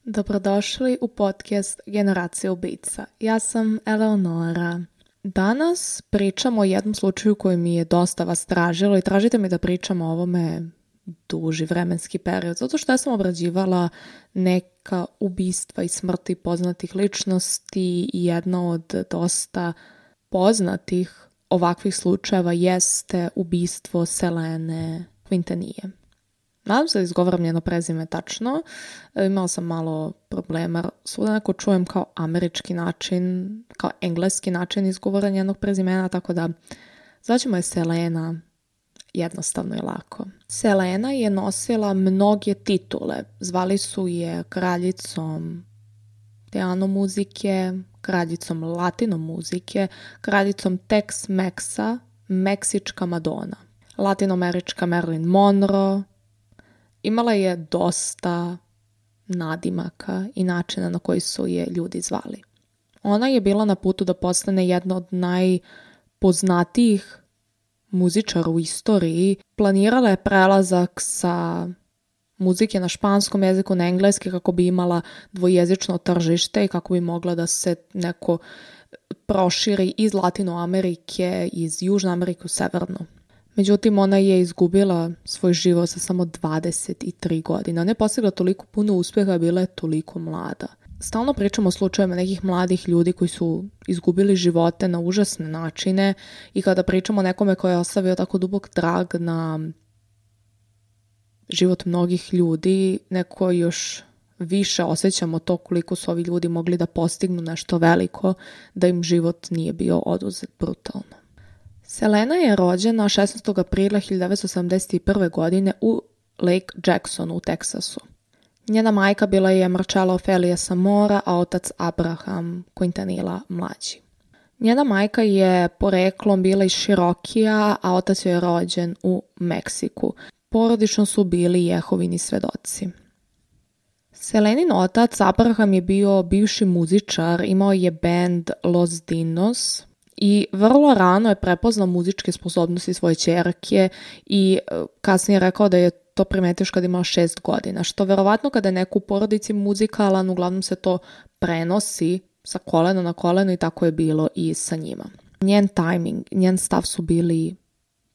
Dobrodošli u podcast Generacija ubica. Ja sam Eleonora. Danas pričamo o jednom slučaju koji mi je dosta vas tražilo i tražite mi da pričam o ovome duži vremenski period, zato što ja sam obrađivala neka ubistva i smrti poznatih ličnosti i jedna od dosta poznatih ovakvih slučajeva jeste ubistvo Selene Quintanille. Nadam se da izgovaram njeno prezime tačno. Imala sam malo problema. Svuda neko čujem kao američki način, kao engleski način izgovora njenog prezimena, tako da zvaćemo je Selena jednostavno i lako. Selena je nosila mnoge titule. Zvali su je kraljicom piano muzike, kraljicom latino muzike, kraljicom Tex-Mexa, meksička Madonna, latinoamerička Marilyn Monroe. Imala je dosta nadimaka i načina na koji su je ljudi zvali. Ona je bila na putu da postane jedna od najpoznatijih muzičara u istoriji. Planirala je prelazak sa muzike na španskom jeziku na engleski kako bi imala dvojezično tržište i kako bi mogla da se neko proširi iz Latinoamerike, iz Južne Amerike u Severnu. Međutim, ona je izgubila svoj život sa samo 23 godine. Ona je postigla toliko puno uspjeha, bila je toliko mlada. Stalno pričamo o slučajevima nekih mladih ljudi koji su izgubili živote na užasne načine i kada pričamo o nekome koji je ostavio tako dubok trag na život mnogih ljudi, neko još više osjećamo to koliko su ovi ljudi mogli da postignu nešto veliko, da im život nije bio oduzet brutalno. Selena je rođena 16. aprila 1971. godine u Lake Jacksonu u Teksasu. Njena majka bila je Marcella Ofelia Samora, a otac Abraham Quintanilla mlađi. Njena majka je poreklom bila iz Širokija, a otac joj je rođen u Meksiku. Porodično su bili Jehovini svedoci. Selenin otac Abraham je bio bivši muzičar, imao je bend Los Dinos i vrlo rano je prepoznao muzičke sposobnosti svoje ćerke i kasnije rekao da je to primetio kad imala 6 godina, što verovatno kada je neko u porodici muzikalan, uglavnom se to prenosi sa kolena na koleno i tako je bilo i sa njima. Njen timing, njen stav su bili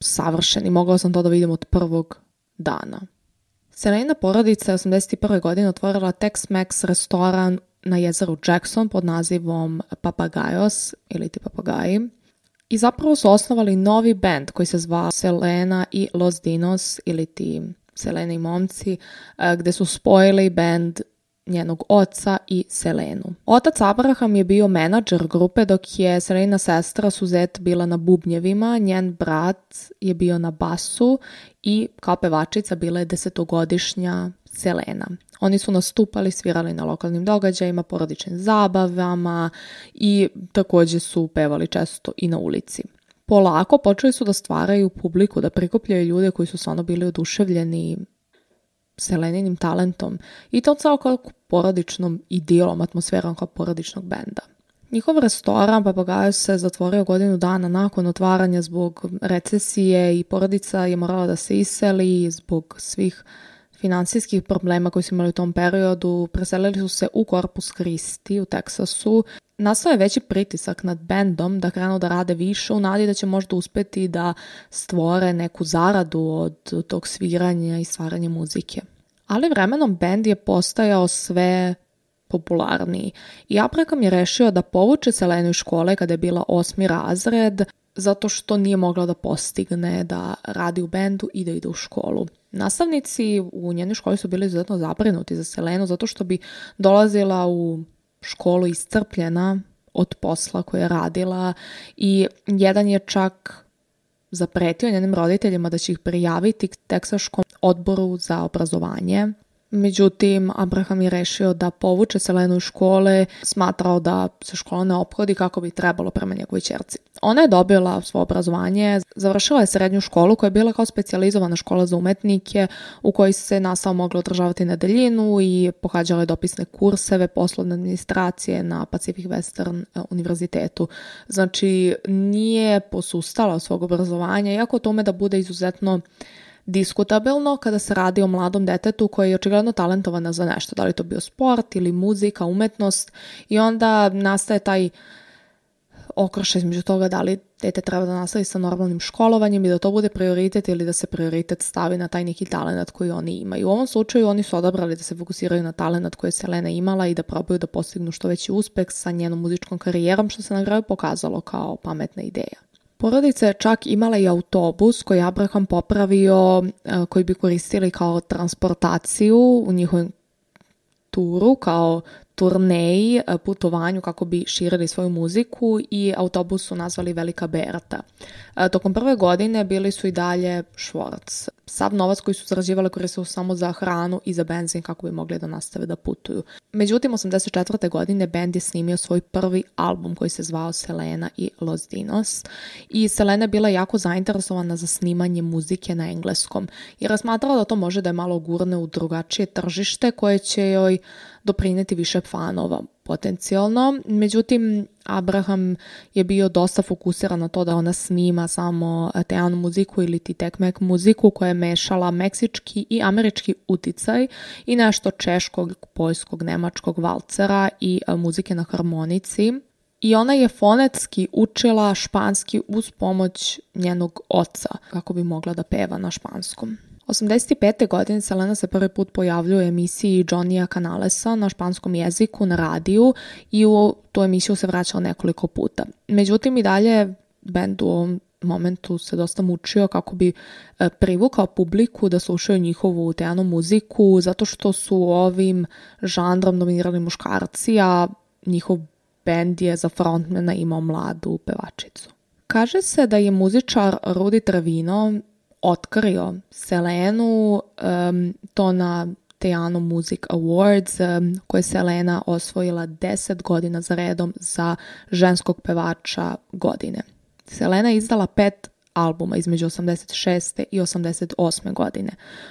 savršeni, mogla sam to da vidim od prvog dana. Selenina porodica je 81. godine otvorila Tex-Mex restoran na jezeru Jackson pod nazivom Papagajos ili ti Papagaji. I zapravo su osnovali novi band koji se zvao Selena i Los Dinos ili ti Selena i momci, gde su spojili band njenog oca i Selenu. Otac Abraham je bio menadžer grupe dok je Selenina sestra Suzette bila na bubnjevima, njen brat je bio na basu i kao pevačica bila je 10-godišnja Selena. Oni su nastupali, svirali na lokalnim događajima, porodičnim zabavama i također su pevali često i na ulici. Polako počeli su da stvaraju publiku, da prikupljaju ljude koji su stvarno bili oduševljeni Seleninim talentom i to kao porodičnom idilom, atmosferom kao porodičnog benda. Njihov restoran Papagajos se zatvorio godinu dana nakon otvaranja zbog recesije i porodica je morala da se iseli zbog svih finansijskih problema koji su imali u tom periodu. Preselili su se u Corpus Christi u Teksasu. Nastao je veći pritisak nad bendom da krenu da rade više u nadi da će možda uspeti da stvore neku zaradu od tog sviranja i stvaranja muzike. Ali vremenom bend je postajao sve popularniji i Abraham je rešio da povuče Selenu iz škole kada je bila 8. razred zato što nije mogla da postigne da radi u bendu i da ide u školu. Nastavnici u njenoj školi su bili izuzetno zabrinuti za Selenu zato što bi dolazila u školu iscrpljena od posla koje je radila i jedan je čak zapretio njenim roditeljima da će ih prijaviti Teksaškom odboru za obrazovanje. Međutim, Abraham je rešio da povuče Selenu iz škole, smatrao da se škola ne ophodi kako bi trebalo prema njegovoj ćerci. Ona je dobila svoje obrazovanje, završila je srednju školu koja je bila kao specijalizovana škola za umetnike u kojoj se nastava mogla održavati na daljinu i pohađala je dopisne kurseve poslovne administracije na Pacific Western univerzitetu. Znači, nije posustala od svog obrazovanja, iako to ume da bude izuzetno diskutabilno kada se radi o mladom detetu koji je očigledno talentovana za nešto, da li to bio sport ili muzika, umetnost, i onda nastaje taj okršaj između toga da li dete treba da nastavi sa normalnim školovanjem i da to bude prioritet ili da se prioritet stavi na taj neki talent koji oni imaju. U ovom slučaju oni su odabrali da se fokusiraju na talent koji je Selena imala i da probaju da postignu što veći uspeh sa njenom muzičkom karijerom, što se na kraju pokazalo kao pametna ideja. Porodica je čak imala i autobus koji je Abraham popravio, koji bi koristili kao transportaciju u njihovom turu, kao turneji, putovanju kako bi širili svoju muziku, i autobus su nazvali Velika Berta. Tokom prve godine bili su i dalje Schwartz. Sav novac koji su zarađivali koristili su samo za hranu i za benzin kako bi mogli da nastave da putuju. Međutim, 84. godine bend je snimio svoj prvi album koji se zvao Selena i Los Dinos, i Selena je bila jako zainteresovana za snimanje muzike na engleskom jer je smatrala da to može da je malo gurne u drugačije tržište koje će joj doprineti više fanova potencijalno. Međutim, Abraham je bio dosta fokusiran na to da ona snima samo teanu muziku ili Tex-Mex muziku koja je mešala meksički i američki uticaj i nešto češkog, poljskog, nemačkog valcera i muzike na harmonici. I ona je fonetski učila španski uz pomoć njenog oca kako bi mogla da peva na španskom. 85. godine Selena se prvi put pojavljuje u emisiji Johnnyja Canalesa na španskom jeziku na radiju i u tu emisiju se vraćala nekoliko puta. Međutim, i dalje bend u ovom momentu se dosta mučio kako bi privukao publiku da slušaju njihovu teanu muziku, zato što su ovim žanrom dominirali muškarci, a njihov bend je za frontmana imao mladu pevačicu. Kaže se da je muzičar Rudy Trevino otkrio Selenu to na Teano Music Awards koje je Selena osvojila 10 godina za redom za ženskog pevača godine. Selena je izdala 5 albuma između 86. i 88. godine.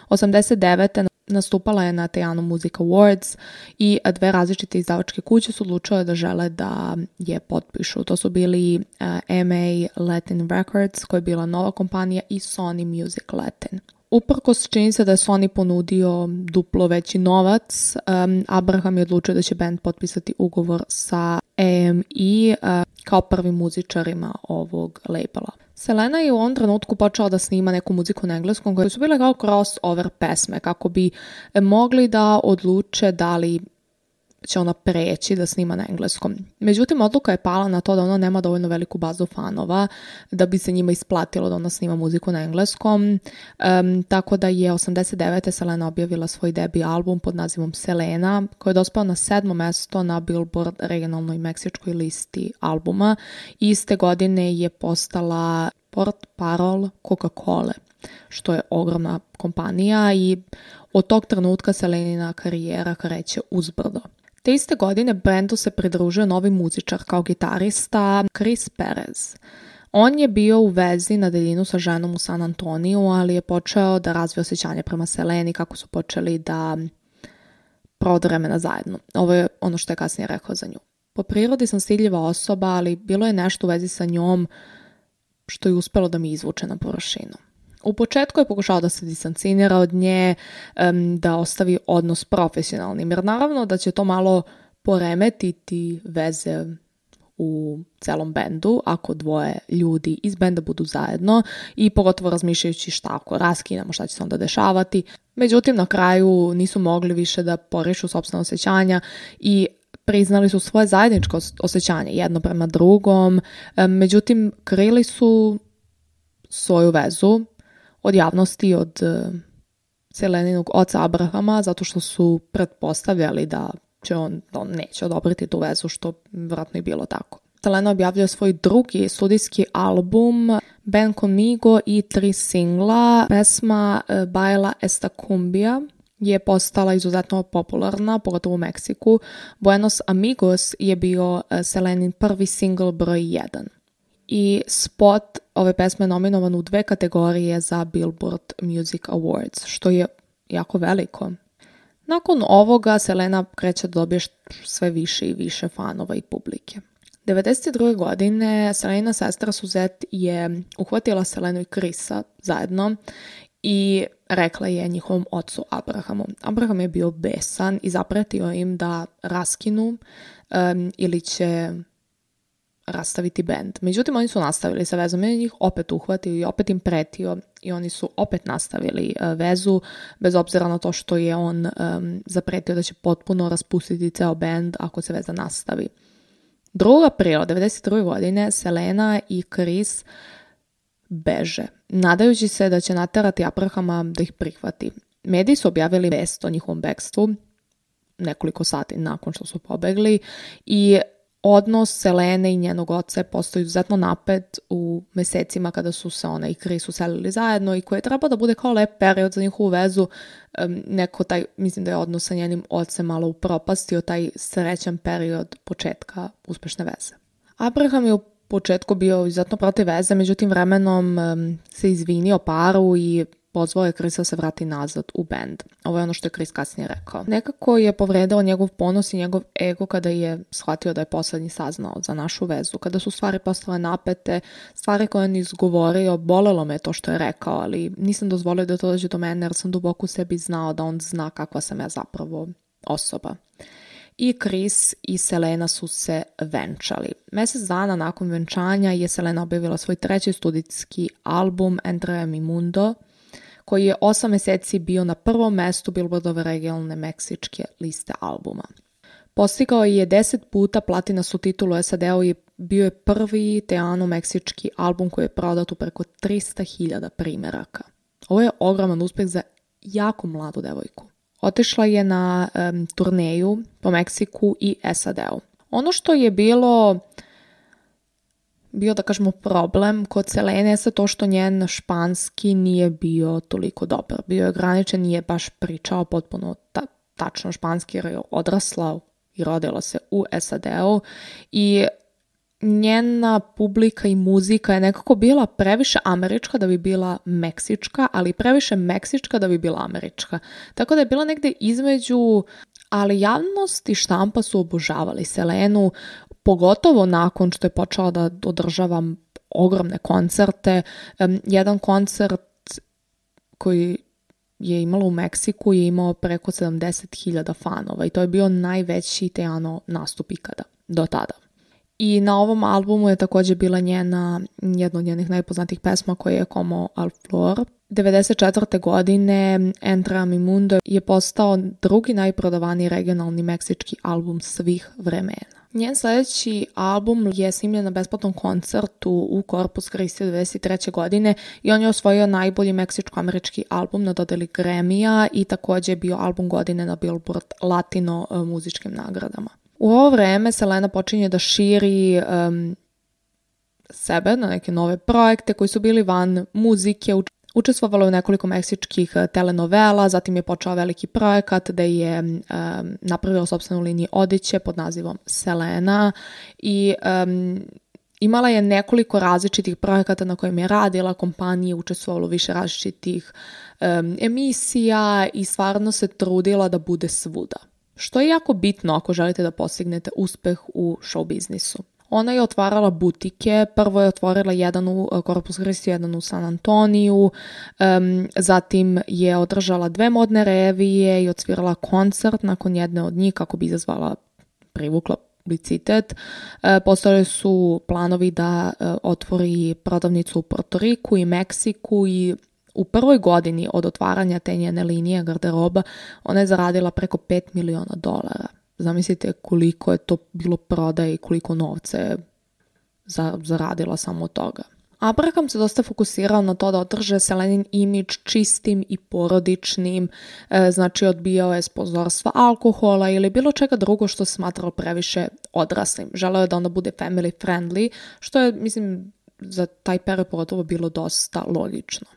89. nastupala je na Teano Music Awards i 2 različite izdavačke kuće su odlučile da žele da je potpišu. To su bili MA Latin Records, koja je bila nova kompanija, i Sony Music Latin. Uprkos čini se da je Sony ponudio duplo veći novac, Abraham je odlučio da će band potpisati ugovor sa AME kao prvim muzičarima ovog labela. Selena je u ovom trenutku počela da snima neku muziku na engleskom koje su bile kao crossover pesme kako bi mogli da odluče da li će ona preći da snima na engleskom. Međutim, odluka je pala na to da ona nema dovoljno veliku bazu fanova da bi se njima isplatilo da ona snima muziku na engleskom. Tako da je 89. Selena objavila svoj debi album pod nazivom Selena, koji je dospao na 7. mesto na Billboard regionalnoj meksičkoj listi albuma. Iste godine je postala portparol Coca-Cola, što je ogromna kompanija, i od tog trenutka Selenina karijera kreće uzbrdo. Te iste godine bendu se pridružio novi muzičar kao gitarista Chris Perez. On je bio u vezi na daljinu sa ženom u San Antoniju, ali je počeo da razvije osjećanje prema Seleni kako su počeli da provode vremena zajedno. Ovo je ono što je kasnije rekao za nju. Po prirodi sam stidljiva osoba, ali bilo je nešto u vezi sa njom što je uspelo da mi izvuče na površinu. U početku je pokušao da se distancira od nje, da ostavi odnos profesionalnim, jer naravno da će to malo poremetiti veze u celom bendu ako dvoje ljudi iz benda budu zajedno, i pogotovo razmišljajući šta ako raskinemo, šta će se onda dešavati. Međutim, na kraju nisu mogli više da porišu sopstvena osjećanja i priznali su svoje zajedničko osjećanje jedno prema drugom. Međutim, krili su svoju vezu od javnosti, od Seleninog oca Abrahama, zato što su pretpostavljali da će on neće odobriti tu vezu, što vjerojatno i bilo tako. Selena objavljuje svoj drugi studijski album Ven Conmigo i 3 singla. Pesma Baila esta cumbia je postala izuzetno popularna, pogotovo u Meksiku. Buenos Amigos je bio Selenin prvi single broj 1. I spot ove pesme je nominovan u 2 kategorije za Billboard Music Awards, što je jako veliko. Nakon ovoga Selena kreće da dobije sve više i više fanova i publike. 1992. godine Selenina sestra Suzette je uhvatila Selenu i Chrisa zajedno i rekla je njihovom ocu Abrahamu. Abraham je bio besan i zapretio im da raskinu ili će rastaviti bend. Međutim, oni su nastavili sa vezom i njih opet uhvatio i opet im pretio i oni su opet nastavili vezu, bez obzira na to što je on zapretio da će potpuno raspustiti ceo bend ako se veza nastavi. 2. aprila 1992. godine Selena i Chris beže, nadajući se da će naterati Abrahama da ih prihvati. Mediji su objavili vest o njihovom bekstvu nekoliko sati nakon što su pobegli i odnos Selene i njenog oca je postao izuzetno napet u mesecima kada su se ona i Chris uselili zajedno i koji je trebao da bude kao lep period za njihovu vezu. Mislim da je odnos sa njenim ocem malo upropastio taj srećan period početka uspešne veze. Abraham je u početku bio izuzetno protiv veze, međutim vremenom se izvinio paru i pozvao je Chrisa da se vrati nazad u bend. Ovo je ono što je Chris kasnije rekao. Nekako je povredao njegov ponos i njegov ego kada je shvatio da je poslednji saznao za našu vezu. Kada su stvari postale napete, stvari koje on izgovorio, bolelo me to što je rekao, ali nisam dozvolio da to dođe do mene jer sam duboko u sebi znao da on zna kakva sam ja zapravo osoba. I Chris i Selena su se venčali. Mesec dana nakon venčanja je Selena objavila svoj 3. studijski album Entre mi mundo, koji je 8 meseci bio na prvom mestu Billboardove regionalne meksičke liste albuma. Postigao je 10 puta platinastu titulu u SAD-u i bio je prvi teano-meksički album koji je prodat u preko 300.000 primeraka. Ovo je ogroman uspeh za jako mladu devojku. Otišla je na turneju po Meksiku i SAD-u. Ono što je bio da kažemo problem kod Selene je to što njen španski nije bio toliko dobar. Bio je ograničen, nije baš pričao potpuno tačno španski jer je odrasla i rodila se u SAD-u i njena publika i muzika je nekako bila previše američka da bi bila meksička, ali previše meksička da bi bila američka. Tako da je bila negde između, ali javnost i štampa su obožavali Selenu, pogotovo nakon što je počela da održava ogromne koncerte. Jedan koncert koji je imala u Meksiku je imao preko 70.000 fanova i to je bio najveći teano nastup ikada do tada. I na ovom albumu je također bila jedna od njenih najpoznatijih pesma koja je Como al Flor. 1994. godine Entre mi mundo je postao drugi najprodavaniji regionalni meksički album svih vremena. Njen sljedeći album je snimljen na besplatnom koncertu u Corpus Christi 1993. godine i on je osvojio najbolji meksičko-američki album na dodeli Grammy-a i također je bio album godine na Billboard Latino muzičkim nagradama. U ovo vreme Selena počinje da širi sebe na neke nove projekte koji su bili van muzike, učestvovala u nekoliko meksičkih telenovela, zatim je počeo veliki projekat da je napravila sopstvenu liniju odeće pod nazivom Selena i imala je nekoliko različitih projekata na kojim je radila, kompanije učestvovala u više različitih emisija i stvarno se trudila da bude svuda. Što je jako bitno ako želite da postignete uspeh u show biznisu. Ona je otvarala butike, prvo je otvorila jedan u Corpus Christi, jedan u San Antoniju, zatim je održala 2 modne revije i odsvirala koncert nakon jedne od njih kako bi privukla publicitet. Postojali su planovi da otvori prodavnicu u Porto Riku i Meksiku i u prvoj godini od otvaranja te njene linije garderoba ona je zaradila preko $5 miliona. Zamislite koliko je to bilo prodaje i koliko novca je zaradila samo od toga. Abraham se dosta fokusirao na to da održe Selenin imidž čistim i porodičnim, znači odbijao je sponzorstva alkohola ili bilo čega drugo što se smatralo previše odraslim. Želeo je da ona bude family friendly, što je, mislim, za taj period pogotovo bilo dosta logično.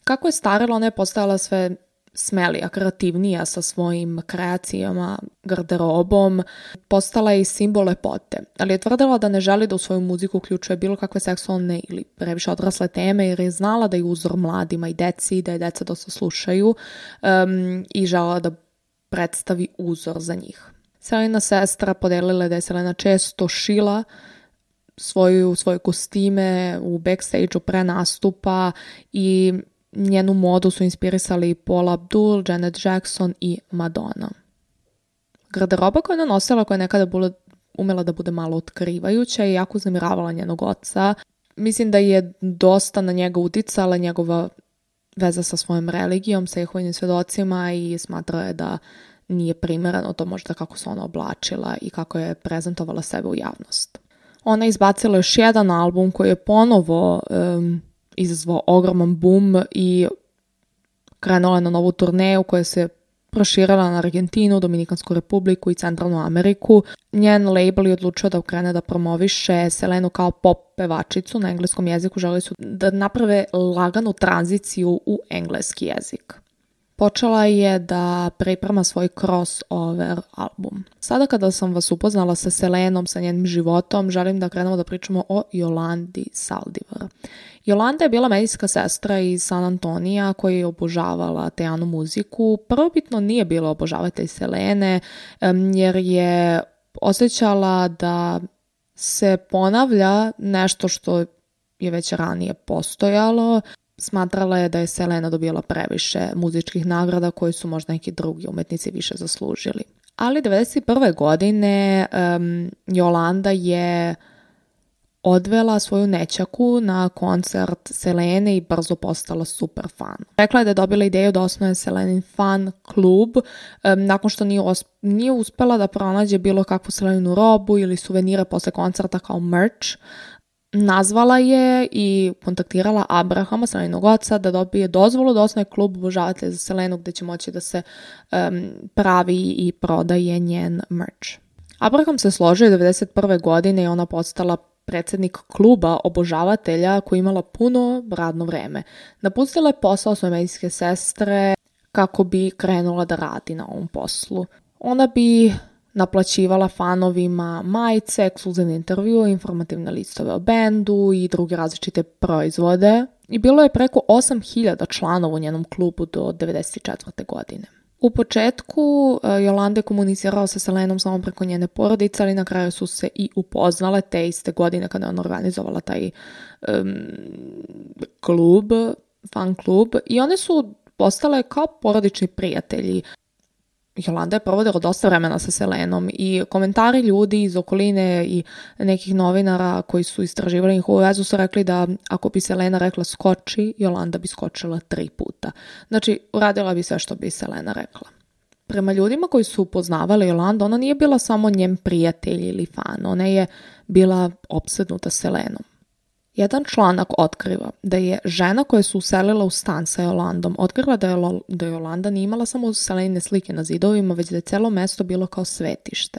Kako je starila, ona je postajala sve smelija, kreativnija sa svojim kreacijama, garderobom, postala je i simbol lepote, ali je tvrdila da ne želi da u svoju muziku uključuje bilo kakve seksualne ili previše odrasle teme jer je znala da je uzor mladima i deci, da je deca dosta slušaju i želela da predstavi uzor za njih. Selena sestra podelila da je Selena često šila svoje kostime u backstage-u pre nastupa i njenu modu su inspirisali Paula Abdul, Janet Jackson i Madonna. Garderoba koju je nosila, koja je nekada umela da bude malo otkrivajuća i jako uznemiravala njenog oca. Mislim da je dosta na njega uticala njegova veza sa svojom religijom, sa Jehovovim svjedocima i smatrao je da nije primjereno to možda kako se ona oblačila i kako je prezentovala sebe u javnost. Ona je izbacila još jedan album koji je ponovo izazvao ogroman boom i krenula na novu turneju koja se proširila na Argentinu, Dominikansku republiku i Centralnu Ameriku. Njen label je odlučio da krene da promoviše Selenu kao pop pevačicu na engleskom jeziku. Želi su da naprave laganu tranziciju u engleski jezik. Počela je da priprema svoj crossover album. Sada kada sam vas upoznala sa Selenom, sa njenim životom, želim da krenemo da pričamo o Jolandi Saldivar. Jolanda je bila medijska sestra iz San Antonija koja je obožavala Tejanu muziku. Prvobitno nije bila obožavatelj Selene jer je osjećala da se ponavlja nešto što je već ranije postojalo. Smatrala je da je Selena dobila previše muzičkih nagrada koji su možda neki drugi umetnici više zaslužili. Ali 1991. godine Jolanda je odvela svoju nećaku na koncert Selene i brzo postala super fan. Rekla je da je dobila ideju da osnuje Selenin fan klub nakon što nije uspela da pronađe bilo kakvu Seleninu robu ili suvenire posle koncerta kao merch. Nazvala je i kontaktirala Abrahama, Selenog oca, da dobije dozvolu da osnuje klub obožavatelja za Selenu gdje će moći da se pravi i prodaje njen merch. Abraham se složio 1991. godine i ona postala predsjednik kluba obožavatelja koji je imala puno radno vreme. Napustila je posao svoje medijske sestre kako bi krenula da radi na ovom poslu. Ona bi naplaćivala fanovima majice, ekskluzivne intervjue, informativne listove o bendu i druge različite proizvode. I bilo je preko 8.000 članova u njenom klubu do 1994. godine. U početku Jolanda je komunicirala sa Selenom samo preko njene porodice, ali na kraju su se i upoznale te iste godine kada je ona organizovala taj fan klub i one su postale kao porodični prijatelji. Jolanda je provodila dosta vremena sa Selenom i komentari ljudi iz okoline i nekih novinara koji su istraživali njihovu vezu su rekli da ako bi Selena rekla skoči, Jolanda bi skočila 3 puta. Znači, uradila bi sve što bi Selena rekla. Prema ljudima koji su upoznavali Jolandu, ona nije bila samo njen prijatelj ili fan, ona je bila opsednuta Selenom. Jedan članak otkriva da je žena koja se uselila u stan sa Jolandom otkrila da Jolanda nije imala samo Selenine slike na zidovima, već da je celo mesto bilo kao svetište.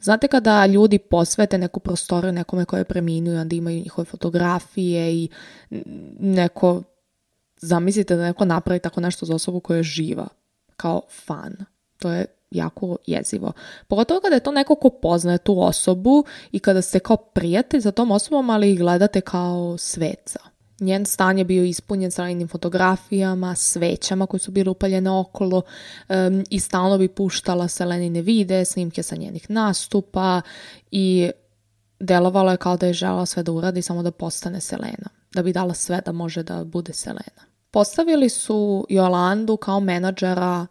Znate kada ljudi posvete neku prostoriju nekome koje je preminuo, onda imaju njihove fotografije i neko, zamislite da neko napravi tako nešto za osobu koja je živa, kao fan. To je jako jezivo. Pogotovo kada je to neko ko poznaje tu osobu i kada ste kao prijatelj za tom osobom, ali ih gledate kao sveca. Njen stan je bio ispunjen Selenim fotografijama, svećama koje su bile upaljene okolo i stalno bi puštala Selenine videe, snimke sa njenih nastupa i delovalo je kao da je želela sve da uradi samo da postane Selena, da bi dala sve da može da bude Selena. Postavili su Jolandu kao menadžera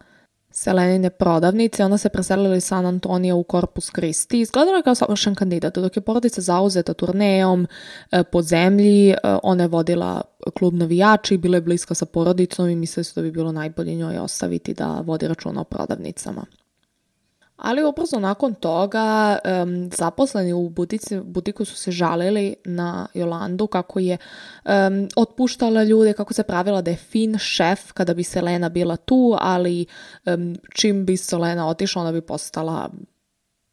Selenine prodavnice, ona se preselila iz San Antonija u Corpus Christi. Izgledala je kao savršen kandidat, dok je porodica zauzeta turnejom po zemlji, ona je vodila klub navijača i bila je bliska sa porodicom i mislili su da bi bilo najbolje njoj ostaviti da vodi računa o prodavnicama. Ali ubrzo nakon toga zaposleni u butiku su se žalili na Jolandu kako je otpuštala ljude, kako se pravila da je fin šef kada bi Selena bila tu, ali čim bi Selena otišla ona bi postala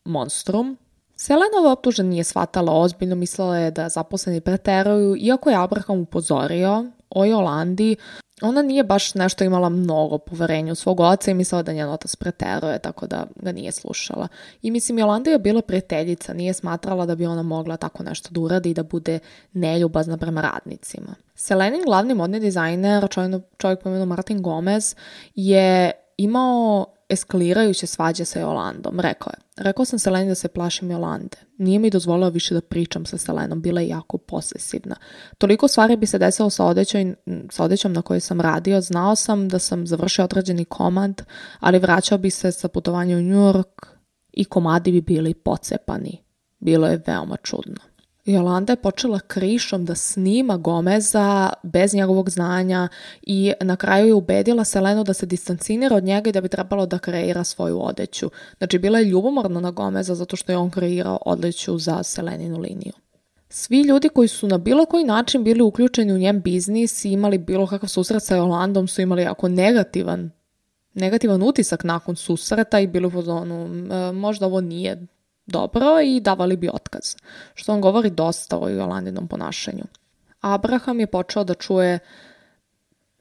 monstrum. Selenova optužba nije shvatala ozbiljno, mislila je da zaposleni preteruju, iako je Abraham upozorio o Jolandi. Ona nije baš nešto imala mnogo poverenja u svog oca i mislila da njen otac preteruje, tako da ga nije slušala. I mislim, Jolanda je bila prijateljica, nije smatrala da bi ona mogla tako nešto da uradi i da bude neljubazna prema radnicima. Selenin glavni modni dizajner, čovjek po imenu Martin Gomez, je imao eskalirajuće svađe sa Jolandom. Rekao sam Seleni da se plašim Jolande. Nije mi dozvolila više da pričam sa Selenom, bila je jako posesivna. Toliko stvari bi se desilo sa odećom na kojoj sam radio. Znao sam da sam završio određeni komad, ali vraćao bi se sa putovanja u New York i komadi bi bili pocepani. Bilo je veoma čudno. Jolanda je počela krišom da snima Gomeza bez njegovog znanja i na kraju je ubedila Selenu da se distancira od njega i da bi trebalo da kreira svoju odeću. Znači, bila je ljubomorna na Gomeza zato što je on kreirao odeću za Seleninu liniju. Svi ljudi koji su na bilo koji način bili uključeni u njen biznis i imali bilo kakav susret sa Jolandom su imali jako negativan utisak nakon susreta i bili u fazonu možda ovo nije dobro i davali bi otkaz, što on govori dosta o Jolandinom ponašanju. Abraham je počeo da čuje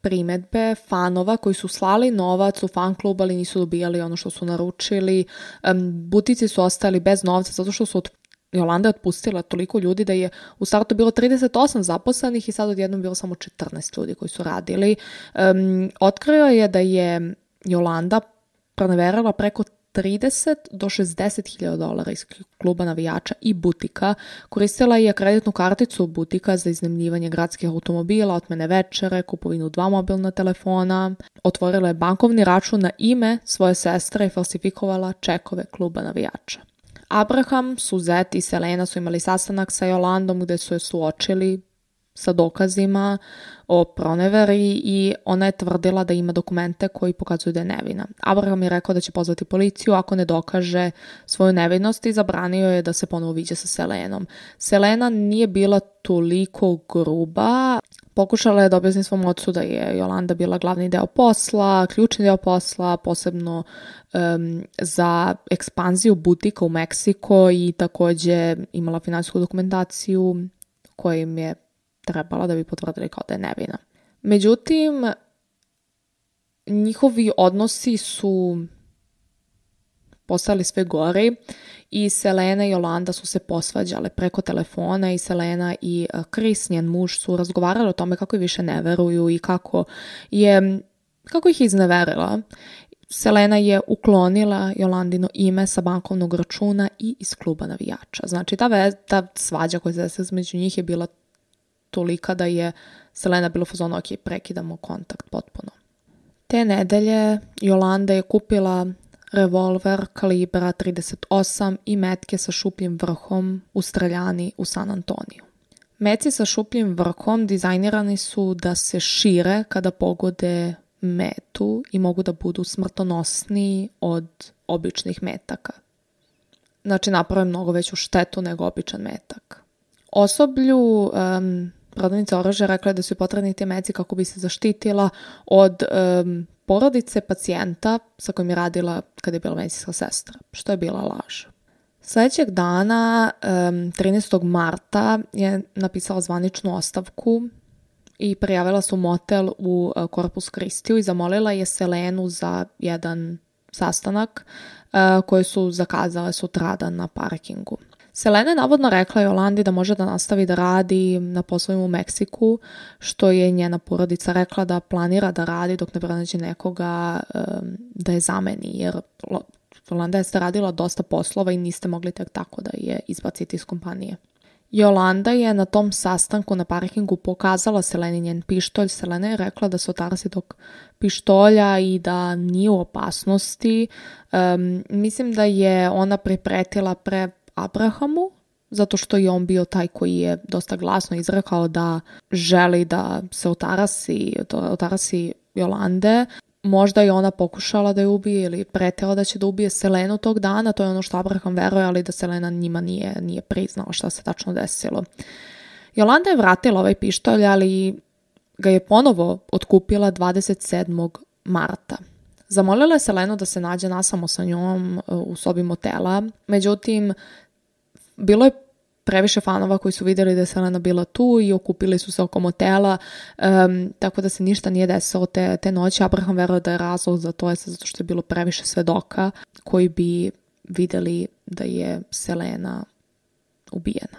primedbe fanova koji su slali novac u fan klub, ali nisu dobijali ono što su naručili. Butici su ostali bez novca zato što su Jolanda je otpustila toliko ljudi da je u startu bilo 38 zaposlenih i sad odjednom bilo samo 14 ljudi koji su radili. Otkrio je da je Jolanda proneverila preko 30 do 60.000 dolara iz kluba navijača i butika. Koristila je kreditnu karticu butika za iznajmljivanje gradskih automobila, otmene večere, kupovinu 2 mobilna telefona. Otvorila je bankovni račun na ime svoje sestre i falsifikovala čekove kluba navijača. Abraham, Suzette i Selena su imali sastanak sa Jolandom gde su je suočili sa dokazima o proneveri i ona je tvrdila da ima dokumente koji pokazuju da je nevina. Abraham je rekao da će pozvati policiju ako ne dokaže svoju nevinost i zabranio je da se ponovo viđe sa Selenom. Selena nije bila toliko gruba. Pokušala je da objasni svom ocu da je Jolanda bila glavni deo posla, ključni deo posla, posebno za ekspanziju butika u Meksiko i također imala finansijsku dokumentaciju kojim je trebala da bi potvrdili kao da je nevina. Međutim, njihovi odnosi su postali sve gori i Selena i Jolanda su se posvađale preko telefona i Selena i Chris, njen muž, su razgovarali o tome kako je više ne veruju i kako ih je izneverila. Selena je uklonila Jolandino ime sa bankovnog računa i iz kluba navijača. Znači, ta svađa koja se desila između njih je bila tolika da je Selena bila u fazonu, ok, prekidamo kontakt potpuno. Te nedelje Jolanda je kupila revolver kalibra 38 i metke sa šupljim vrhom u streljani u San Antoniju. Meci sa šupljim vrhom dizajnirani su da se šire kada pogode metu i mogu da budu smrtonosniji od običnih metaka. Znači, naprave mnogo veću štetu nego običan metak. Osoblju prodavnica oružja rekla da su potrebni te meci kako bi se zaštitila od porodice pacijenta sa kojim je radila kada je bila medicinska sestra, što je bila laž. Sljedećeg dana, 13. marta, je napisala zvaničnu ostavku i prijavila se u motel u Corpus Christiju i zamolila je Selenu za jedan sastanak koji su zakazale sutradan na parkingu. Selena je navodno rekla Jolandi da može da nastavi da radi na poslovima u Meksiku, što je njena porodica rekla da planira da radi dok ne pronađe nekoga da je zameni, jer Jolanda je radila dosta poslova i niste mogli tek tako da je izbaciti iz kompanije. Jolanda je na tom sastanku na parkingu pokazala Seleni njen pištolj. Selena je rekla da se otarasi tog pištolja i da nije u opasnosti. Mislim da je ona pripretila Abrahamu, zato što je on bio taj koji je dosta glasno izrekao da želi da se otarasi Jolande. Možda je ona pokušala da je ubije ili pretela da će da ubije Selenu tog dana, to je ono što Abraham veruje, ali da Selena njima nije priznala šta se tačno desilo. Jolanda je vratila ovaj pištolj, ali ga je ponovo otkupila 27. marta. Zamolila je Selenu da se nađe nasamo sa njom u sobi motela, međutim, bilo je previše fanova koji su vidjeli da je Selena bila tu i okupili su se oko motela, tako da se ništa nije desilo te noći. Abraham veruje da je razlog za to zato što je bilo previše svedoka koji bi vidjeli da je Selena ubijena.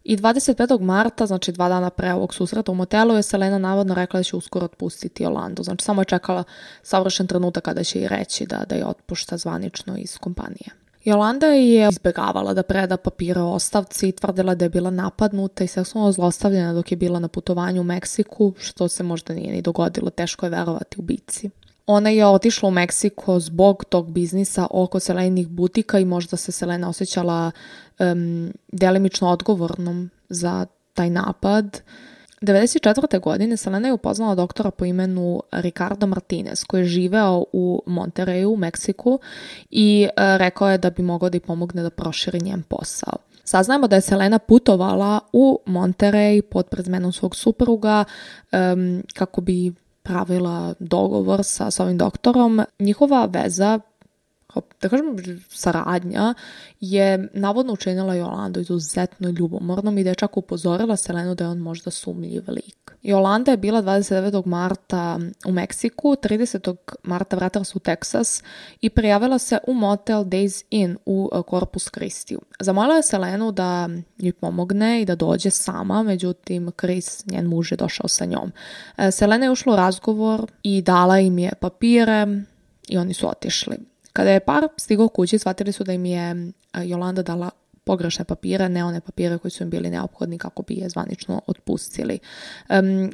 I 25. marta, znači 2 dana pre ovog susreta u motelu, je Selena navodno rekla da će uskoro otpustiti Jolandu. Znači samo je čekala savršen trenutak kada će i reći da je otpušta zvanično iz kompanije. Jolanda je izbjegavala da preda papire o ostavci i tvrdila da je bila napadnuta i seksualno zlostavljena dok je bila na putovanju u Meksiku, što se možda nije ni dogodilo, teško je verovati ubici. Ona je otišla u Meksiko zbog tog biznisa oko Selenih butika i možda se Selena osjećala delimično odgovornom za taj napad. 1994. godine Selena je upoznala doktora po imenu Ricardo Martinez koji je živeo u Monterreyu u Meksiku i rekao je da bi mogao da ih pomogne da proširi njen posao. Saznajemo da je Selena putovala u Monterrey pod prezmenom svog supruga kako bi pravila dogovor sa ovim doktorom. Njihova veza, da kažem saradnja, je navodno učinila Jolandu izuzetno ljubomornom i da je čak upozorila Selenu da je on možda sumnjiv lik. Jolanda je bila 29. marta u Meksiku, 30. marta vratila se u Teksas i prijavila se u motel Days Inn u Corpus Christi. Zamolila je Selenu da joj pomogne i da dođe sama, međutim Chris, njen muž, je došao sa njom. Selena je ušla u razgovor i dala im je papire i oni su otišli. Kada je par stigao kući, shvatili su da im je Jolanda dala pogrešne papire, ne one papire koji su im bili neophodni kako bi je zvanično otpustili.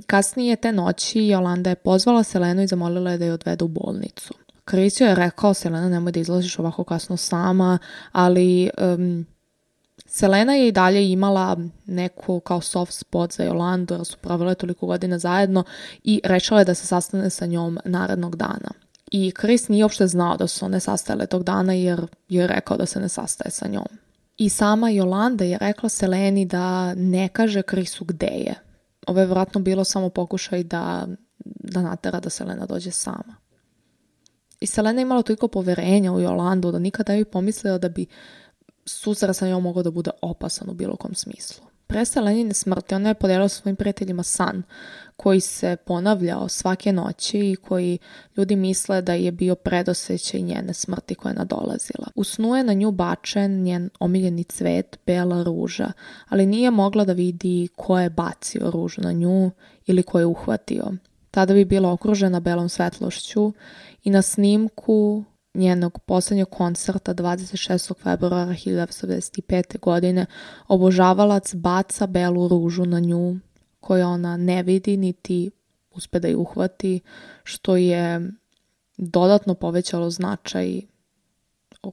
Kasnije te noći Jolanda je pozvala Selenu i zamolila je da je odvede u bolnicu. Chris je rekao: Selena, nemoj da izlaziš ovako kasno sama, ali Selena je i dalje imala neku kao soft spot za Jolandu, jer su provele toliko godina zajedno i rešila je da se sastane sa njom narednog dana. I Chris nije uopšte znao da su se one sastajale tog dana jer je rekao da se ne sastaje sa njom. I sama Jolanda je rekla Seleni da ne kaže Chrisu gde je. Ovo je vjerojatno bilo samo pokušaj da natera da Selena dođe sama. I Selena je imala toliko poverenja u Jolandu da nikada ne bi pomislila da bi susret sa njom mogao da bude opasan u bilo kom smislu. Pre Selenine smrti ona je podijelila sa svojim prijateljima san koji se ponavljao svake noći i koji ljudi misle da je bio predosjećaj njene smrti koja je nadolazila. U snu je na nju bačen njen omiljeni cvet, bela ruža, ali nije mogla da vidi ko je bacio ružu na nju ili ko je uhvatio. Tada bi bila okružena belom svetlošću i na snimku njenog posljednjeg koncerta 26. februara 1995. godine obožavalac baca belu ružu na nju koju ona ne vidi niti uspe da ju uhvati, što je dodatno povećalo značaj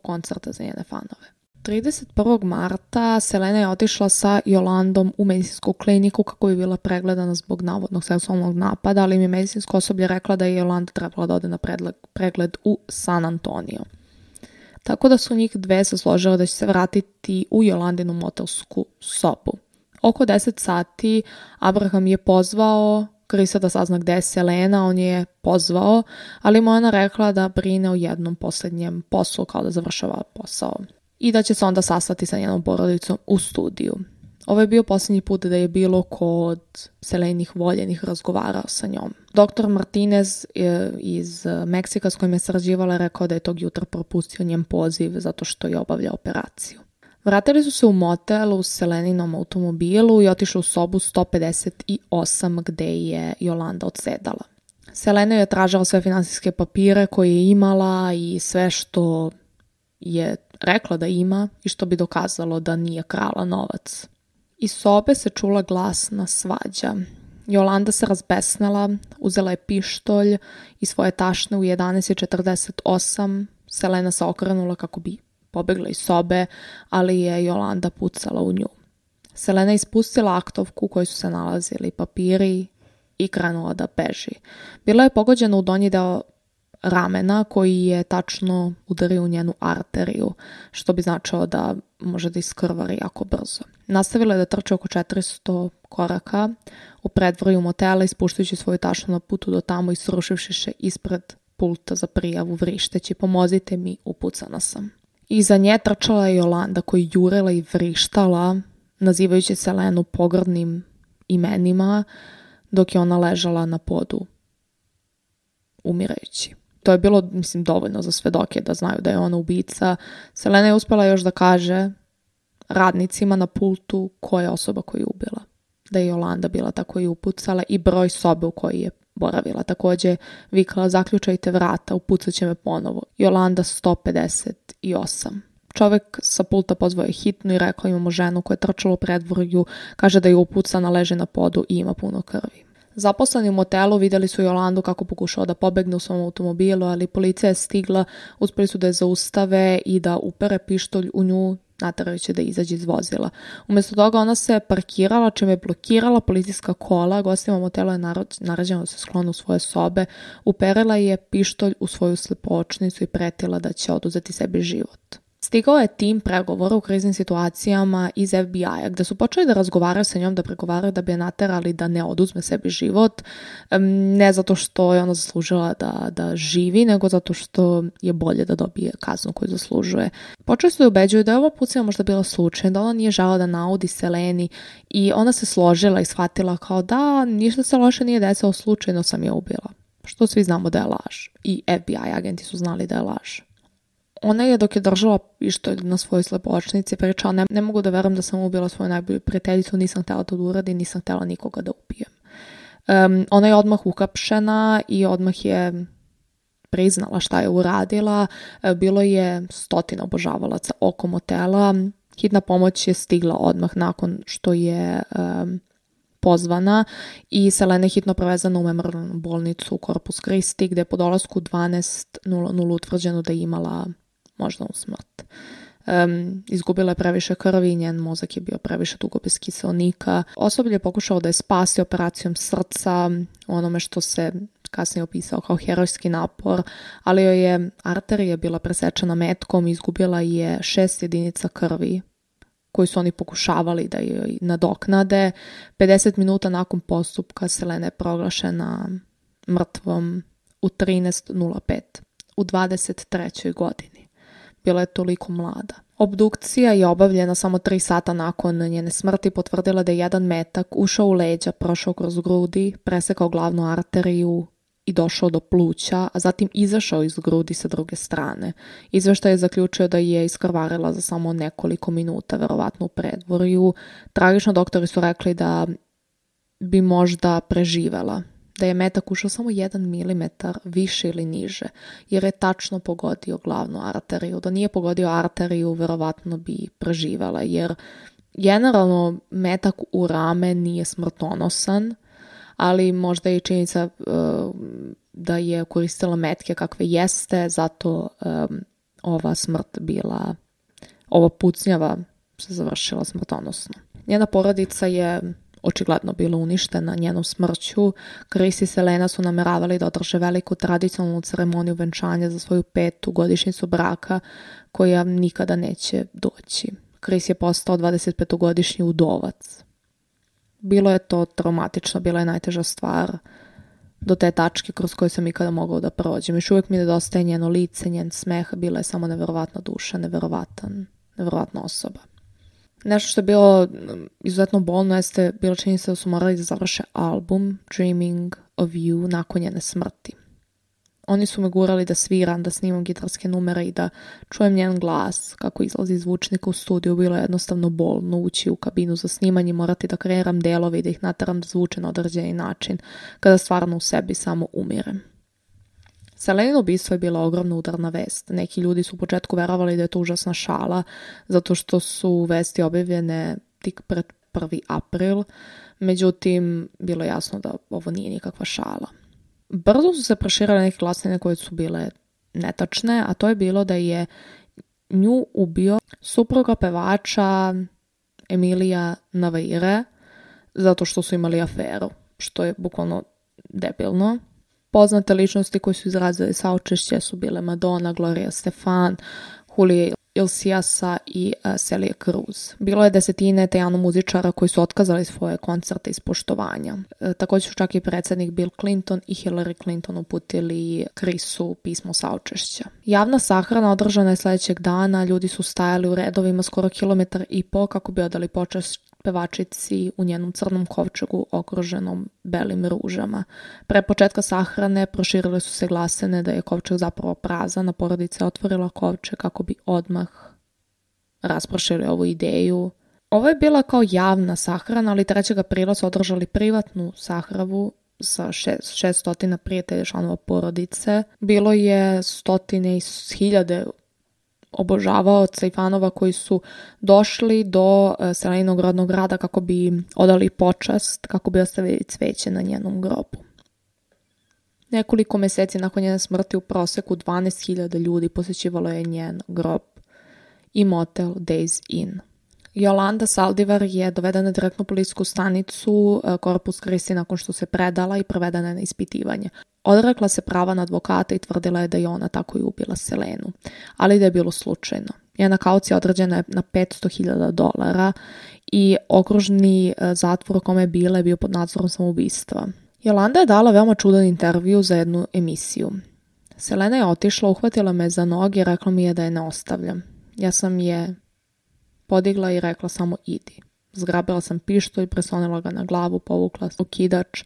koncerta za njene fanove. 31. marta Selena je otišla sa Jolandom u medicinsku kliniku kako bi bila pregledana zbog navodnog seksualnog napada, ali im je medicinsko osoblje rekla da je Jolanda trebala da ode na pregled u San Antonio. Tako da su njih dve se složile da će se vratiti u Jolandinu motelsku sobu. Oko 10 sati Abraham je pozvao Chrisa da sazna gde je Selena, on je pozvao, ali mu je ona rekla da brine o jednom posljednjem poslu, kao da završava posao. I da će se onda sastati sa njenom porodicom u studiju. Ovo je bio posljednji put da je bilo kod Selenih voljenih razgovarao sa njom. Dr. Martinez iz Meksika s kojim je sarađivala rekao da je tog jutra propustio njen poziv zato što je obavljao operaciju. Vratili su se u motel u Seleninom automobilu i otišli u sobu 158 gde je Jolanda odsedala. Selena je tražila sve finansijske papire koje je imala i sve što je rekla da ima i što bi dokazalo da nije krala novac. Iz sobe se čula glasna svađa. Jolanda se razbesnela, uzela je pištolj i svoje tašne u 11:48. Selena se okrenula kako bi pobegla iz sobe, ali je Jolanda pucala u nju. Selena je ispustila aktovku u kojoj su se nalazili papiri i krenula da beži. Bila je pogođena u donji deo ramena koji je tačno udario u njenu arteriju, što bi značilo da može da iskrvari jako brzo. Nastavila je da trče oko 400 koraka u predvorju motela, ispuštajući svoju tašnu na putu do tamo i srušivši se ispred pulta za prijavu vrišteći: pomozite mi, upucana sam. Iza nje trčala je Jolanda koja je jurila i vrištala, nazivajući Selenu pogrdnim imenima, dok je ona ležala na podu umirajući. To je bilo, dovoljno za svedoke da znaju da je ona ubica. Selena je uspela još da kaže radnicima na pultu koja je osoba koju je ubila. Da je Jolanda bila ta koja je upucala i broj sobe u kojoj je boravila. Također vikala zaključajte vrata, upucat će me ponovo. Jolanda 158. Čovjek sa pulta pozvao je hitnu i rekao imamo ženu koja je trčala u predvorju, kaže da je upucana, leže na podu i ima puno krvi. Zaposleni u motelu vidjeli su Jolandu kako pokušao da pobegne u svom automobilu, ali policija je stigla, uspjeli su da je zaustave i da upere pištolj u nju, naterajući da izađe iz vozila. Umjesto toga ona se parkirala, čime je blokirala policijska kola, gostima motela je naređeno da se sklonu u svoje sobe, uperila je pištolj u svoju slipočnicu i pretila da će oduzeti sebi život. Stigao je tim pregovora u kriznim situacijama iz FBI-a, gde su počeli da razgovaraju sa njom, da pregovaraju da bi je naterali da ne oduzme sebi život, ne zato što je ona zaslužila da živi, nego zato što je bolje da dobije kaznu koju zaslužuje. Počeli su da ubeđuju da je ova pucnjava možda bila slučajna, da ona nije žela da naudi Seleni i ona se složila i shvatila kao da ništa se loše nije desilo, slučajno sam je ubila. Što svi znamo da je laž. I FBI agenti su znali da je laž. Ona je dok je držala pištolj na svojoj slepočnici pričala ne mogu da verujem da sam ubila svoju najbolju prijateljicu, nisam htjela to da uradim, nisam htjela nikoga da ubijem. Ona je odmah uhapšena i odmah je priznala šta je uradila. Bilo je 100 obožavalaca oko motela. Hitna pomoć je stigla odmah nakon što je pozvana i Selena je hitno prevezana u memorijalnu bolnicu u Corpus Christi gdje je po dolasku 12:00 utvrđeno da je imala moždanu smrt. Izgubila je previše krvi, njen mozak je bio previše dugo bez kiseonika. Osoblje je pokušao da je spasi operacijom srca, onome što se kasnije opisao kao herojski napor, ali joj je arterija bila presečena metkom i izgubila je 6 jedinica krvi koji su oni pokušavali da joj nadoknade. 50 minuta nakon postupka Selena je proglašena mrtvom u 13:05 u 23. godini. Bila je toliko mlada. Obdukcija je obavljena samo 3 sata nakon njene smrti, potvrdila da je jedan metak ušao u leđa, prošao kroz grudi, presekao glavnu arteriju i došao do pluća, a zatim izašao iz grudi sa druge strane. Izveštaj je zaključio da je iskrvarila za samo nekoliko minuta, verovatno u predvorju. Tragično doktori su rekli da bi možda preživela, da je metak ušao samo 1 milimetar više ili niže, jer je tačno pogodio glavnu arteriju. Da nije pogodio arteriju, verovatno bi preživela, jer generalno metak u rame nije smrtonosan, ali možda je i činjenica da je koristila metke kakve jeste, zato ova smrt bila, ova pucnjava se završila smrtonosno. Njena porodica je očigledno bila uništena njenom smrću. Chris i Selena su nameravali da održe veliku tradicionalnu ceremoniju venčanja za svoju 5. godišnjicu braka, koja nikada neće doći. Chris je postao 25-godišnji udovac. Bilo je to traumatično, bila je najteža stvar do te tačke kroz koju sam ikada mogao da prođem. Još uvijek mi nedostaje njeno lice, njen smeh, bila je samo neverovatna duša, neverovatna osoba. Nešto što je bilo izuzetno bolno jeste bila činjenica da su morali da završe album Dreaming of You nakon njene smrti. Oni su me gurali da sviram, da snimam gitarske numere i da čujem njen glas kako izlazi iz zvučnika u studiju. Bilo je jednostavno bolno ući u kabinu za snimanje, morati da kreiram delove i da ih nateram da zvuče na određeni način, kada stvarno u sebi samo umirem. Selenino ubistvo je bila ogromna udarna vest. Neki ljudi su u početku verovali da je to užasna šala, zato što su vesti objavljene tik pred 1. april, međutim, bilo je jasno da ovo nije nikakva šala. Brzo su se proširile neke glasine koje su bile netačne, a to je bilo da je nju ubio supruga pevača Emilija Navaire zato što su imali aferu, što je bukvalno debilno. Poznate ličnosti koje su izrazili saučešće su bile Madonna, Gloria Stefan, Julio Iglesiasa i Celia Cruz. Bilo je desetine tajano muzičara koji su otkazali svoje koncerte iz poštovanja. Također su čak i predsjednik Bill Clinton i Hillary Clinton uputili Chrisu pismo saučešća. Javna sahrana održana je sljedećeg dana, ljudi su stajali u redovima skoro 1,5 kilometra kako bi odali počast pevačici u njenom crnom kovčegu okruženom belim ružama. Pre početka sahrane proširile su se glasine da je kovčeg zapravo prazan, a porodica je otvorila kovčeg kako bi odmah raspršili ovu ideju. Ovo je bila kao javna sahrana, ali 3. aprila su održali privatnu sahravu sa 600 prijatelja članova porodice. Bilo je stotine i hiljade obožavaoca i fanova koji su došli do Seleninog rodnog grada kako bi odali počast, kako bi ostavili cveće na njenom grobu. Nekoliko meseci nakon njene smrti u proseku 12.000 ljudi posjećivalo je njen grob i motel Days Inn. Jolanda Saldivar je dovedena direktno u policijsku stanicu Corpus Christi nakon što se predala i provedena na ispitivanje. Odrekla se prava na advokata i tvrdila je da je ona tako i ubila Selenu, ali da je bilo slučajno. Njena kaucija određena je na $500,000 i okružni zatvor u kome je bila je bio pod nadzorom samoubistva. Jolanda je dala veoma čudan intervju za jednu emisiju. Selena je otišla, uhvatila me za noge i rekla mi je da je ne ostavljam. Ja sam je podigla i rekla samo idi. Zgrabila sam pištolj, preslonila ga na glavu, povukla okidač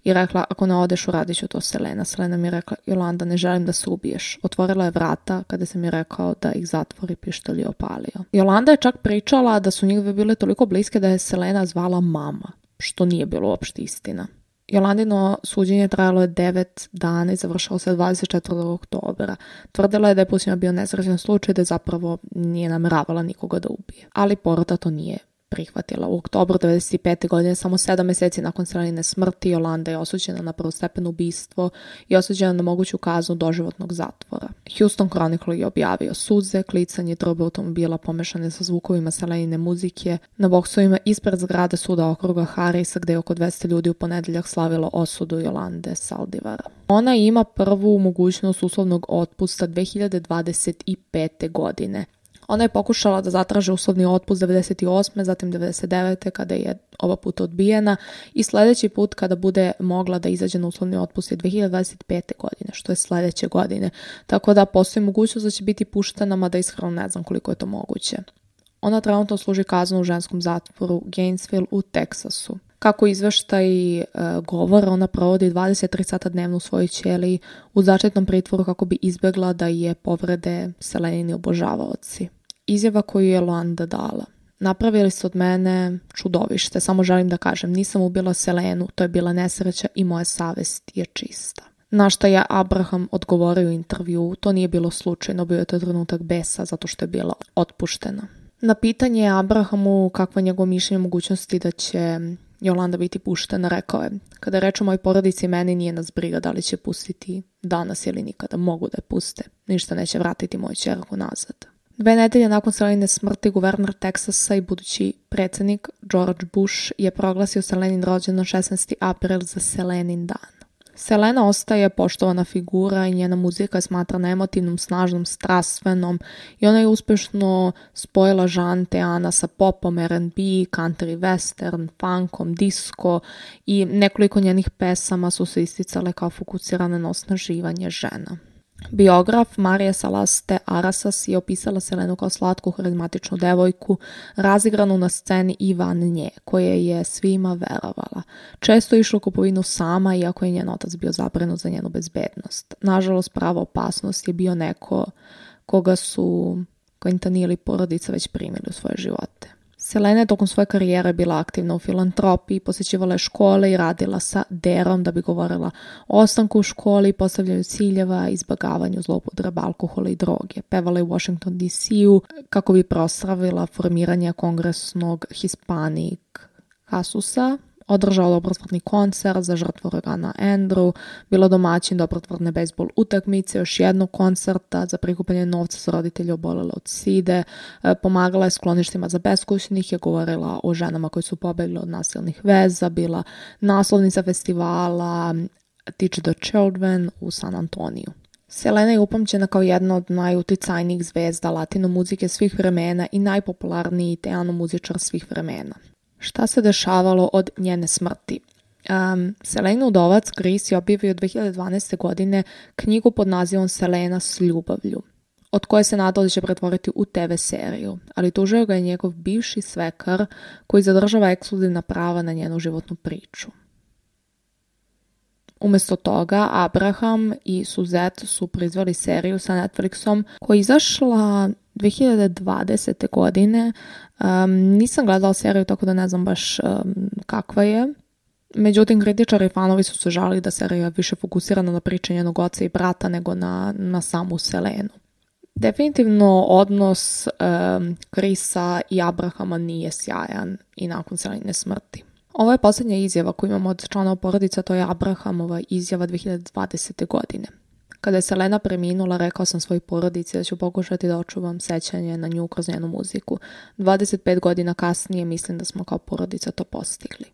i rekla ako ne odeš uradit ću to Selena. Selena mi je rekla Jolanda ne želim da se ubiješ. Otvorila je vrata kada sam mi rekao da ih zatvori, pištolj je opalio. Jolanda je čak pričala da su njih bile toliko bliske da je Selena zvala mama, što nije bilo uopšte istina. Jolandino suđenje trajalo je 9 dana i završalo se 24. oktobra. Tvrdila je da je pušima bio nesrećan slučaj, da je zapravo nije nameravala nikoga da ubije. Ali porota to nije prihvatila. U oktobru 1995. godine, samo 7 meseci nakon Selenine smrti, Jolanda je osuđena na prvostepeno ubistvo i osuđena na moguću kaznu doživotnog zatvora. Houston Chronicle je objavio suze, klicanje trube automobila pomešane sa zvukovima Selenine muzike na boksovima ispred zgrade suda okruga Harrisa, gde je oko 200 ljudi u ponedeljak slavilo osudu Jolande Saldivara. Ona ima prvu mogućnost uslovnog otpusta 2025. godine. Ona je pokušala da zatraži uslovni otpust 98. zatim 99. kada je ova put odbijena i sljedeći put kada bude mogla da izađe na uslovni otpust je 2025. godine, što je sljedeće godine. Tako da postoji mogućnost da će biti puštena, mada iskreno ne znam koliko je to moguće. Ona trenutno služi kaznu u ženskom zatvoru Gainesville u Teksasu. Kako izveštaj govora, ona provodi 23 sata dnevno u svojoj ćeliji u zaštitnom pritvoru kako bi izbjegla da je povrede Selenini obožavaoci. Izjava koju je Jolanda dala. Napravili ste od mene čudovište, samo želim da kažem, nisam ubila Selenu, to je bila nesreća i moja savest je čista. Na šta je Abraham odgovorio u intervju, to nije bilo slučajno, bio je to trenutak besa zato što je bila otpuštena. Na pitanje Abrahamu kakva je njegovo mišljenje o mogućnosti da će Jolanda biti puštena, rekao je, kada reč o mojoj porodici meni nije nas briga da li će pustiti danas ili nikada, mogu da je puste, ništa neće vratiti moju ćerku nazad. 2 nedelje nakon Selenine smrti, guverner Teksasa i budući predsjednik George Bush je proglasio Selenin rođendan 16. april za Selenin dan. Selena ostaje poštovana figura i njena muzika je smatrana emotivnom, snažnom, strastvenom i ona je uspješno spojila žan Teana sa popom, R&B, country western, funkom, disco i nekoliko njenih pesama su se isticale kao fokusirane na osnaživanje žena. Biograf Marija Salaste Arasas je opisala Selenu kao slatku, harizmatičnu devojku, razigranu na sceni i van nje, koje je svima verovala. Često je išla u kupovinu sama, iako je njen otac bio zabrinut za njenu bezbednost. Nažalost, prava opasnost je bio neko koga su Clinton ili porodica već primili u svoje živote. Selena je tokom svoje karijere bila aktivna u filantropiji, posjećivala je škole i radila sa derom da bi govorila o ostanku u školi, postavljanju ciljeva, izbjegavanju zloupotreba alkohola i droge. Pevala je u Washington DC-u kako bi proslavila formiranje kongresnog Hispanic Caucusa, održala dobrotvorni koncert za žrtvu uragana Andrew, bila domaćin dobrotvorne bejsbol utakmice, još jednog koncerta za prikupljanje novca za roditelje obolele od side, pomagala je skloništima za beskućnike, govorila o ženama koji su pobegli od nasilnih veza, bila naslovnica festivala Teach the Children u San Antoniju. Selena je upamćena kao jedna od najuticajnijih zvezda latino muzike svih vremena i najpopularniji teano muzičar svih vremena. Šta se dešavalo od njene smrti? Selenin udovac Chris je objavio 2012. godine knjigu pod nazivom Selena s ljubavlju, od koje se nadao da će pretvoriti u TV seriju, ali tužio ga je njegov bivši svekar koji zadržava ekskluzivna prava na njenu životnu priču. Umjesto toga, Abraham i Suzette su proizveli seriju sa Netflixom koja je izašla 2020. godine. Nisam gledala seriju, tako da ne znam baš kakva je. Međutim, kritičari i fanovi su se žalili da serija više fokusirana na pričanje njenog oca i brata nego na samu Selenu. Definitivno odnos Chrisa i Abrahama nije sjajan i nakon Selenine smrti. Ovo je posljednja izjava koju imamo od članova porodica, to je Abrahamova izjava 2020. godine. Kada je Selena preminula, rekao sam svojoj porodici da ću pokušati da očuvam sećanje na nju kroz njenu muziku. 25 godina kasnije mislim da smo kao porodica to postigli.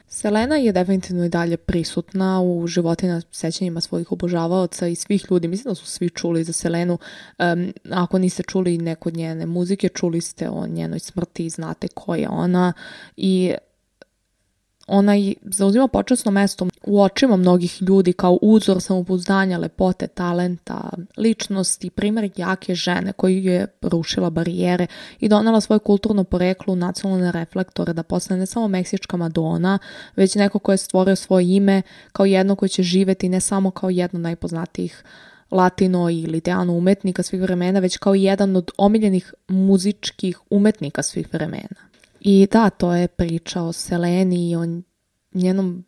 Selena je definitivno i dalje prisutna u životima, sećanjima svojih obožavaoca i svih ljudi. Mislim da su svi čuli za Selenu. Ako niste čuli neko od njene muzike, čuli ste o njenoj smrti i znate ko je ona. I ona zauzima počasno mesto u očima mnogih ljudi kao uzor samopouzdanja, lepote, talenta, ličnosti, primjer jake žene koju je rušila barijere i donela svoje kulturno poreklo u nacionalne reflektore da postane ne samo meksička Madonna, već neko ko je stvorio svoje ime kao jedno koje će živjeti ne samo kao jedno najpoznatijih latino ili teano umetnika svih vremena, već kao jedan od omiljenih muzičkih umetnika svih vremena. I da, to je priča o Seleni i o njenom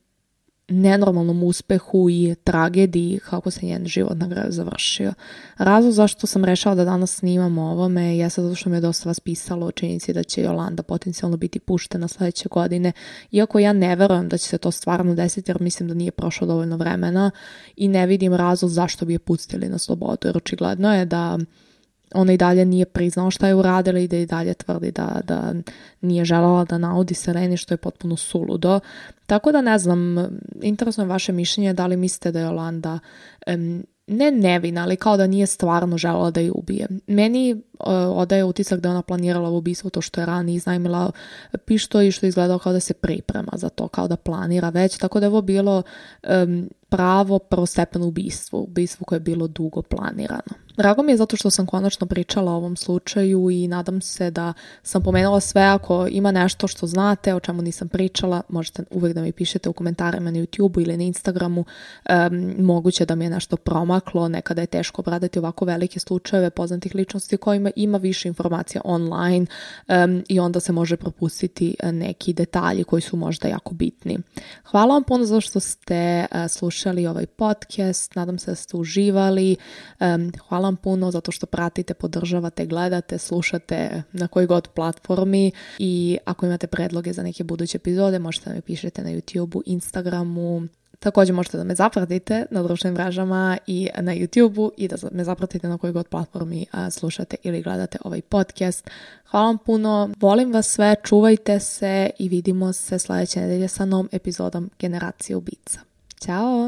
nenormalnom uspehu i tragediji kako se njen život na kraju završio. Razlog zašto sam rešala da danas snimam o ovome jeste zato što mi je dosta vas pisalo o činjenici da će Jolanda potencijalno biti puštena sledeće godine, iako ja ne verujem da će se to stvarno desiti jer mislim da nije prošlo dovoljno vremena i ne vidim razlog zašto bi je pustili na slobodu, jer očigledno je da ona i dalje nije priznala šta je uradila i da i dalje tvrdi da nije želela da naudi Seleni, što je potpuno suludo. Tako da ne znam, interesno je vaše mišljenje, da li mislite da je Jolanda ne nevina, ali kao da nije stvarno želela da je ubije. Meni odaje utisak da je ona planirala ubistvo, to što je ranije iznajmila pištolj i što je izgledalo kao da se priprema za to, kao da planira već, tako da je ovo bilo pravo prvostepeno ubistvo koje je bilo dugo planirano. Drago mi je zato što sam konačno pričala o ovom slučaju i nadam se da sam pomenula sve. Ako ima nešto što znate, o čemu nisam pričala, možete uvijek da mi pišete u komentarima na YouTube ili na Instagramu. Moguće da mi je nešto promaklo, nekada je teško obraditi ovako velike slučajeve poznatih ličnosti kojima ima više informacija online i onda se može propustiti neki detalji koji su možda jako bitni. Hvala vam puno za što ste slušali ovaj podcast, nadam se da ste uživali. Hvala vam puno zato što pratite, podržavate, gledate, slušate na koji god platformi i ako imate predloge za neke buduće epizode možete da mi pišete na YouTubeu, Instagramu. Također možete da me zapratite na društvenim mrežama i na YouTubeu i da me zapratite na kojoj god platformi slušate ili gledate ovaj podcast. Hvala vam puno, volim vas sve, čuvajte se i vidimo se sljedeće nedelje sa novom epizodom Generacije ubica. Ćao!